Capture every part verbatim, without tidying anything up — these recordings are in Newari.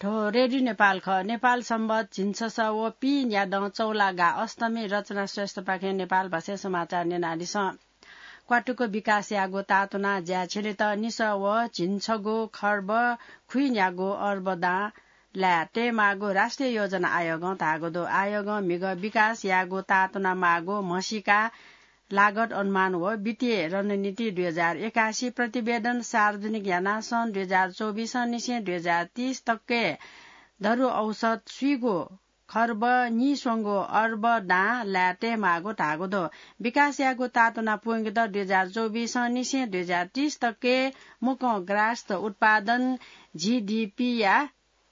हो, रेडियो नेपाल खः। नेपाल संवत झिंछसः व पीन्यादँ चौलागा अष्टमी। रचना श्रेष्ठपाखें नेपाल भाषाय् समाचार न्यनादिसँ। क्वातुक विकासयागु तातुना ज्या छिलेत निसः व झिंछगू खर्ब खुइन्यागू अर्ब दां लाये तयेमाःगु राष्ट्रिय योजना आयोगं धाःगु दु। आयोगं म्हिगः विकास यायेगु तातुना माःगु म्हसीका लागत अनुमान व वित्तीय रणनीति दुई हजार एकासी प्रतिवेदन सार्वजनिक यानाः सन् दुई हजार चौबिस निसें दुई हजार तीस तकय् धरु औसत स्वीगू खर्ब नीस्वंगू अर्ब दां लाये तयेमाःगु धाःगु दु। विकासयागु तातुना पूवंकेत दुई हजार चौबिस निसें दुई हजार तीस तकय् मुक्कं ग्रास्त उत्पादन, जीडीपीया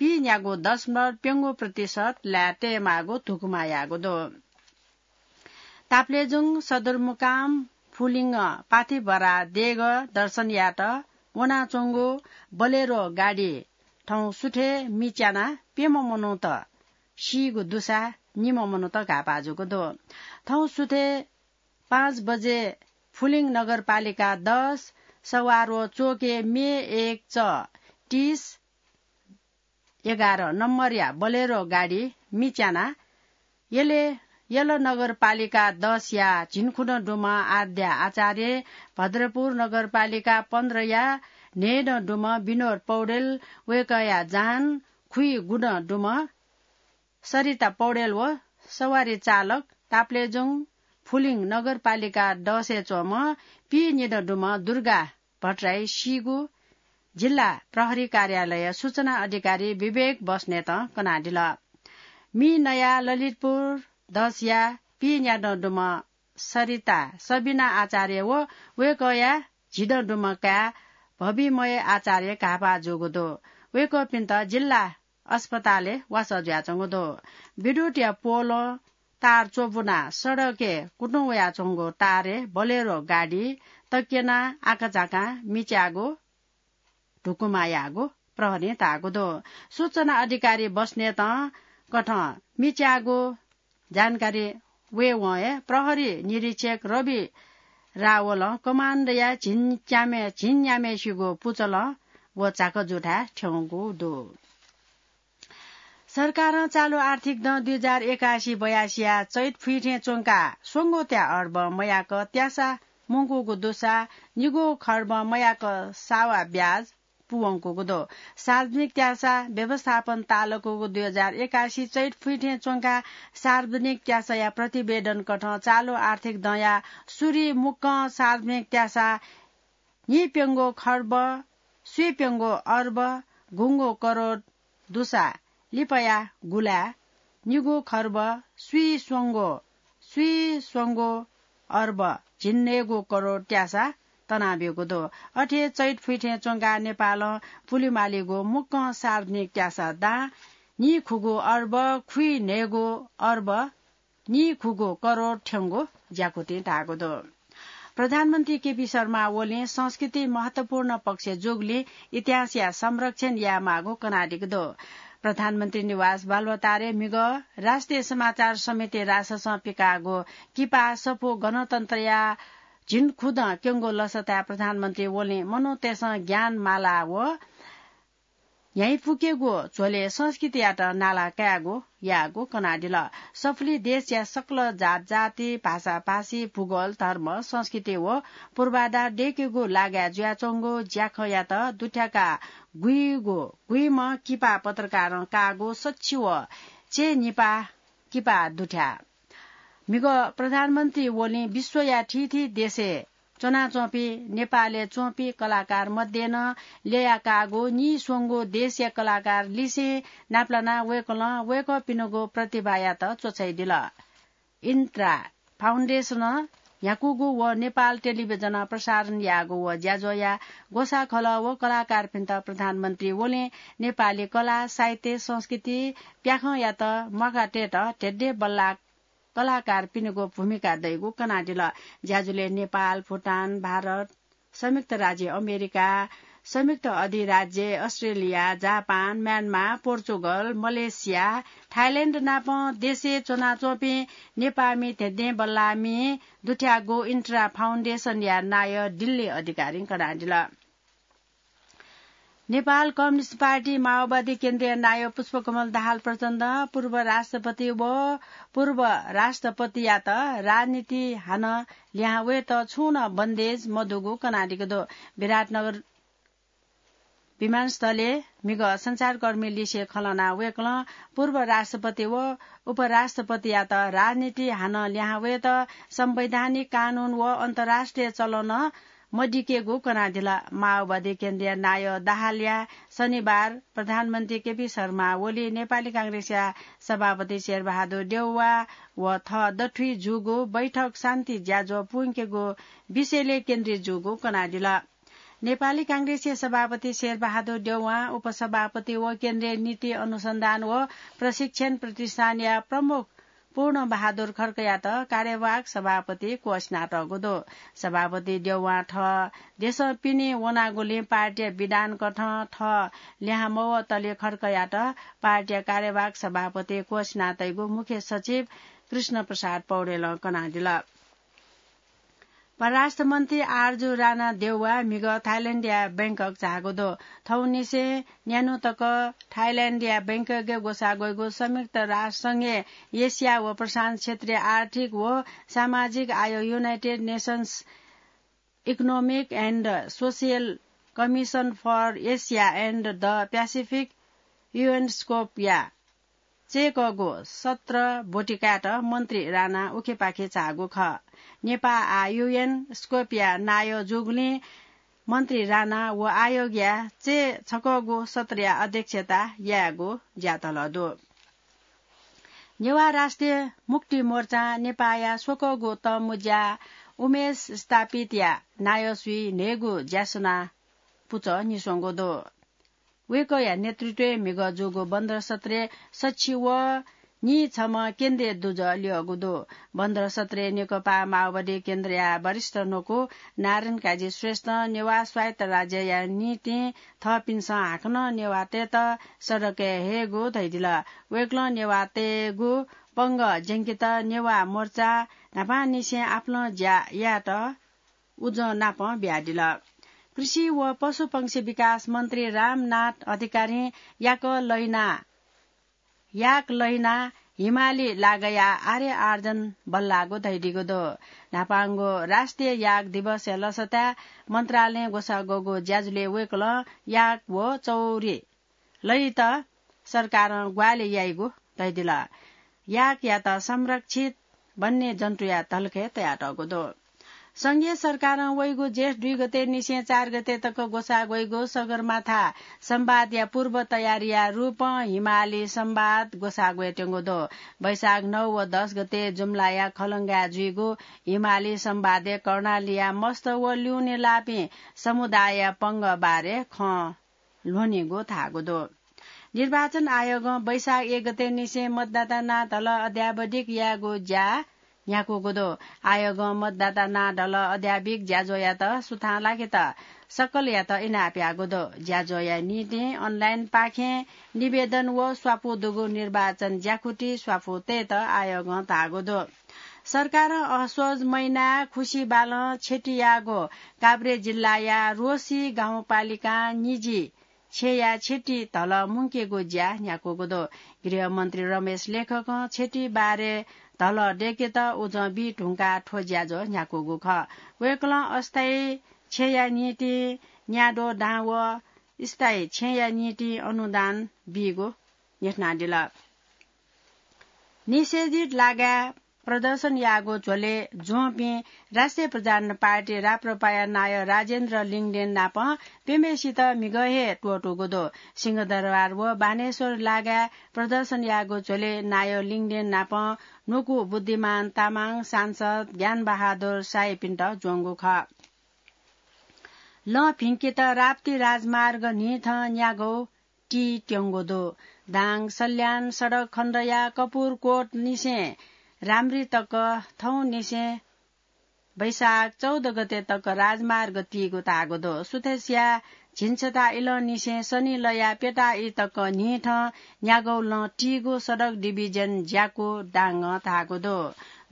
पीन्यागू दशमलव प्यंगू प्रतिशत लाये तयेमाःगु धुकुमा याःगु दु। ताप्लेजुङ सदरमुकाम फुलिङ पाथिभरा देगः दर्शन यायेत वनाच्वंगु बोलेरो गाडी थौं सुथय् मिच्यानाः प्यम्ह मनूत सीगु दुसा निम्ह मनूत घाःपाः जूगु दु। थौं सुथय् पाँच बजे फुलिङ नगरपालिका दस सवारो चोके मे एक च तीस एघार नम्बरया बोलेरो गाडी मिच्यानाः यले, यल नगरपालिका दसया झिंखुदँ दुम्ह आद्या आचार्य, भद्रपुर नगरपालिका पन्ध्रया न्हय्दँ दुम्ह विनोद पौडेल, वय्कःया जहान खुइगुदँ दुम्ह सरिता पौडेल व सवारी चालक ताप्लेजुङ फुलिङ नगरपालिका दसय् च्वंम्ह पीनिदँ दुम्ह दुर्गा भट्टराई सीगु जिल्ला प्रहरी कार्यालय सूचना अधिकारी विवेक बस्नेतं कनादिल। मि नयाः ललितपुर दसया पीन्यादँ दुम्ह सरिता सबिना आचार्य व वय्कःया झिदँ दुम्ह काय् भविमय आचार्य घाःपाः जूगु दु। वय्कःपिन्त जिल्ला अस्पतालय् वासः जुयाच्वंगु दु। विद्युतया पोलं तार च्वबुनाः सडकय् कुतुं वयाच्वंगु तारय् बोलेरो गाडी तक्यनाः आकाझाकां मिच्याःगु धुकुमा याःगु प्रहरीं धाःगु दु। सूचना अधिकारी बस्नेतं कथं मिच्याःगु जानकारी वयेवं हे प्रहरी निरीक्षक रवि रावलं कमाण्डया झिंच्याम्ह, झिंन्याम्हेसिगु पुचलं व झाकजुथाय् थ्यंगु दु। सरकारं चालु आर्थिक दँ दुई हजार एकासी बयासीया चैत फुइथें च्वंकाः स्वंगूत्या अर्ब मयाक त्यासा मुंकूगु दुसा निगू खर्ब मयाक सावा ब्याज पूवंकूगु दु। सार्वजनिक त्यासा व्यवस्थापन तालकूगु दुई हजार एकासी चैत फुइथें च्वंकाः सार्वजनिक त्यासाया प्रतिवेदन कथं चालु आर्थिक दँया सुरु मुक्कं सार्वजनिक त्यासा नीप्यंगू खर्ब स्वीप्यंगू अर्ब गुंगू करोड दुसा लिपाया गुलाय् निगू खर्ब स्वीस्वंगू स्वीस्वंगू अर्ब झिंन्हय्गू करोड त्यासा तनाब्यूगु दु। अथे चैत फुइथें च्वंकाः नेपालं पुलिमालीगु मुक्कं सार्वजनिक त्यासा दां नीखुगू अर्ब खुइन्हय्गू अर्ब नीखुगू करोड थ्यंगु ज्याकुथिं धाःगु दु। प्रधानमन्त्री केपी शर्मा ओलीं संस्कृति महत्वपूर्ण पक्ष जूगुलिं इतिहासया संरक्षण यायेमाःगु कनादीगु दु। प्रधानमन्त्री निवास बालुवाटारय् म्हिगः राष्ट्रिय समाचार समिति राससं पिकाःगु किपा सफू गणतन्त्रया झिंखुदँ क्यंगु लसताय् प्रधानमन्त्री ओलीं मनूतय्सं ज्ञान माला व न्ह्याइपुकेगु झ्वलय् संस्कृतियात नाला कायेगु याःगु कनादिल। सफुली देशया सकल जातजाति, भाषाभाषी, भूगोल, धर्म, संस्कृति व पूर्वाधार दय्केगु लागाय् जुयाच्वंगु ज्याखँयात दुथ्याकाः गुइगु गुइम्ह किपा पत्रकारं काःगु सच्छि व चय्निपाः किपा दुथ्याः। म्हिगः प्रधानमन्त्री ओलीं विश्वया थीथी देशय् च्वनाच्वंपिं नेपालय् च्वंपिं कलाकार मध्ये नं ल्ययाकाःगु नीस्वंगू देशया कलाकार लिसें नापलानाः वय्कलं वय्कःपिनिगु प्रतिभायात च्वछाइदिल। इन्ट्रा फाउन्डेसनं न्ह्याकूगु व नेपाल टेलिभिजनं प्रसारण याःगु व ज्याझ्वःया ग्वसाः खलः व कलाकारपिन्त प्रधानमन्त्री ओलीं नेपाली कला, साहित्य, संस्कृति, प्याखंयात म्वाकातयेत धेंधेंबल्लाः कलाकारपिनिगु भूमिका दइगु कनादिल। ज्याझ्वलय् नेपाल, भुटान, भारत, संयुक्त राज्य अमेरिका, संयुक्त अधिराज्य Australia, Japan, Myanmar, Portugal, Malaysia, Thailand नापं देशय् च्वनाच्वंपिं नेपाःमि धेंधेंबल्लाःमि दुथ्याःगु इन्ट्रा फाउन्डेसनया नायः दिल्ली अधिकारीं कनादिल। नेपाल कम्युनिस्ट पार्टी माओवादी केन्द्रीय नायः पुष्पकमल दाहाल प्रचण्डं पूर्व राष्ट्रपति व पूर्व राष्ट्रपतियात राजनीति हानं लिहां वयेत छुं नं बन्देज मदुगु कनादीगु दु। विराटनगर विमानस्थलय् म्हिगः सञ्चारकर्मी लिसे खँ ल्हानाः वय्कलं पूर्व राष्ट्रपति व उपराष्ट्रपतियात राजनीति हानं लिहां वयेत संवैधानिक कानून व अन्तर्राष्ट्रिय चलनं मदिकेगु कनादिल। माओवादी केन्द्रीय नायः दाहालया शनिबार प्रधानमन्त्री केपी शर्मा ओली, नेपाली कांग्रेसया सभापति शेरबहादुर देउवा व थः दथुइ जूगु बैठक शान्ति ज्याझ्वः पुंकेगु विषयलय् केन्द्रित जूगु कनादिल। नेपाली कांग्रेसया सभापति शेरबहादुर देउवां उपसभापति व केन्द्रीय नीति अनुसन्धान व प्रशिक्षण प्रतिष्ठानया प्रमुख पूर्णबहादुर खड्कायात कार्यवाहक सभापति क्वःछिनातःगु दु। सभापति देउवां थः देशं पिने वनागुलिं पार्टीया विधान कथं थः लिहां मवःतले खड्कायात पार्टीया कार्यवाहक सभापति क्वःछिनातइगु मुख्य सचिव कृष्ण प्रसाद पौडेलं कनादिल। परराष्ट्र मन्त्री आरजु राणा देउवा म्हिगः थाइल्याण्डया बैंकक झाःगु दु। थौंनिसें न्यान्हु तक थाइल्याण्डया बैंककय् ग्वसाः ग्वइगु संयुक्त राष्ट्र संघय् एसिया व प्रशान्त क्षेत्रीय आर्थिक व सामाजिक आयोग United Nations Economic and Social Commission for Asia and the Pacific, युएनस्कोपया चय्कःगु सत्र ब्वति कायेत मन्त्री राणा उखेपाखे झाःगु खः। नेपाः आः युएनस्कोपया नायः जूगुलिं मन्त्री राणा व आयोगया चय्छकःगु सत्रया अध्यक्षता यायेगु ज्यातलः दु। नेवाः राष्ट्रिय मुक्ति मोर्चां नेपाःया स्वकःगु तःमुँज्या उमेश स्थापितया नायःसुइ न्हय्गू ज्यासुना पुचः न्हिस्वंगु दु। वय्कःया नेतृत्वय् म्हिगः जूगु बन्द सत्रय् सछि व नीछम्ह केन्द्रीय दुजः ल्यःगु दु। बन्द सत्रय् नेकपा माओवादी केन्द्रया वरिष्ठ न्वकू नारायण काजी श्रेष्ठं नेवाः स्वायत्त राज्यया निंतिं थःपिन्सं हाकनं नेवाःतय्त सडकय् हयेगु धयादिल। वय्कलं नेवाःतय्गु पंगः ज्यंकेत नेवाः मोर्चा न्हापांनिसें आपालं ज्या यायेत उजं नापं बियादिल। कृषि व पशुपंक्षी विकास मन्त्री रामनाथ अधिकारीं याक लहिना, याक लहिना हिमाली लागया आर्य आर्जन बल्लाःगु धयादीगु दु। न्हापांगु राष्ट्रिय याक दिवसया लसताय् मन्त्रालयं ग्वसाः ग्वःगु ज्याझ्वलय् वय्कलं याक व चौरी लय्त सरकारं ग्वाहालि याइगु धयादिल। याकयात संरक्षित वन्य जन्तुया धलखय् तयातःगु दु। संघीय सरकारं वइगु जेठ दुई गते निसें चार गते तक ग्वसाः ग्वइगु सगरमाथा संवादया पूर्व तयारीया रूपं हिमाली संवाद ग्वसाः ग्वयेत्यंगु दु। वैशाख नौ व दस गते जुम्लाया खलंगाय् जुइगु हिमाली संवादय् कर्णालीया मस्त व ल्यूने लाःपिं समुदायया पंगः बारे खँ ल्ह्वनीगु धाःगु दु। निर्वाचन आयोगं वैशाख एक गते निसें मतदाता नां धलः अद्यावधिक यायेगु ज्या न्ह्याकूगु दु। आयोगं मतदाता नां धलः अद्यावधिक ज्याझ्वःयात सुथां लाकेत सकलयात इनाप याःगु दु। ज्याझ्वःया निंतिं online पाखें निवेदन व स्वापू दुगु निर्वाचन ज्याकुथि स्वापू तयेत आयोगं धाःगु दु। सरकारं असोज महिनाय् खुसि बालं क्षति याःगु काभ्रे जिल्लाया रोसी गाउँपालिकां निजी छेँया क्षति धलः मुंकेगु ज्या न्ह्याकूगु दु। गृहमन्त्री रमेश लेखकं क्षति बारे धलः दय्केत उजं बी धुंकाः थ्व ज्याझ्वः न्ह्याकूगु खः। वय्कलं अस्थायी छेँया निंतिं न्याद्वः दां व स्थायी छेँया निंतिं अनुदान बीगु न्ह्यथनादिल। निषेधित लागाय् प्रदर्शन याःगु झ्वलय् ज्वंपिं राष्ट्रिय प्रजातन्त्र पार्टी राप्रपाया नायः राजेन्द्र लिङदेन नाप प्यम्हेसित म्हिगः हे त्वःतूगु दु। सिंहदरबार व बानेश्वर लागाय् प्रदर्शन याःगु झ्वलय् नायः लिङदेन नाप न्वकू बुद्धिमान तामाङ, सांसद ज्ञानबहादुर शाहीपिन्त ज्वंगु खः। लँ भिंकेत राप्ती राजमार्ग न्हिथं न्यागू ती त्यंगु दु। दाङ सल्यान सडक खण्डया कपुरकोट निसें राम्री तक थौं निसें वैशाख चौध गते तक राजमार्ग तीगु धाःगु दु। सुथसिया झिंछता इलंनिसें सनिलया प्यता ई तक न्हिथं न्यागू लँ तीगु सडक डिभिजन ज्याकू दाङं धाःगु दु।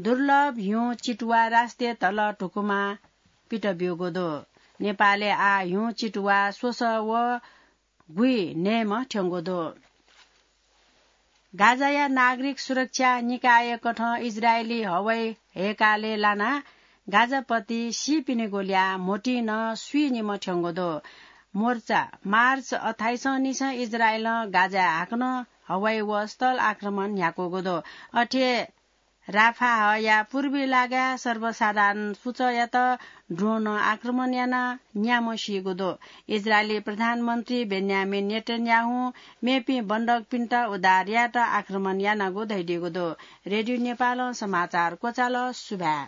दुर्लभ हिउँ चितुवा राष्ट्रिय धलः धुकुमा पित ब्यूगु दु। नेपालय् आः हिउँ चितुवा स्वसः व गुइ नयेम्ह थ्यंगु दु। गाजाया नागरिक सुरक्षा निकायकथं इजरायली हवाई हेकालय् लानाः गाजापति सीपिनिगु ल्याः म्होतिं नं स्वीनिम्ह थ्यंगु दु। मोर्चा मार्च अट्ठाइसं निसें इजरायलं गाजाय् हाकनं हवाई व स्थल आक्रमण न्ह्याकूगु दु। अथे राफाहया पूर्वी लागाय् सर्वसाधारण पुचःयात ड्रोनं आक्रमण यानाः न्याम्ह सीगु दु। इजरायली प्रधानमन्त्री बेन्यामिन नेतन्याहुं मेपिं बन्दकपिन्त उद्धार यायेत आक्रमण यानागु धयादीगु दु। रेडियो नेपालं समाचार क्वचाल। सुभाय्।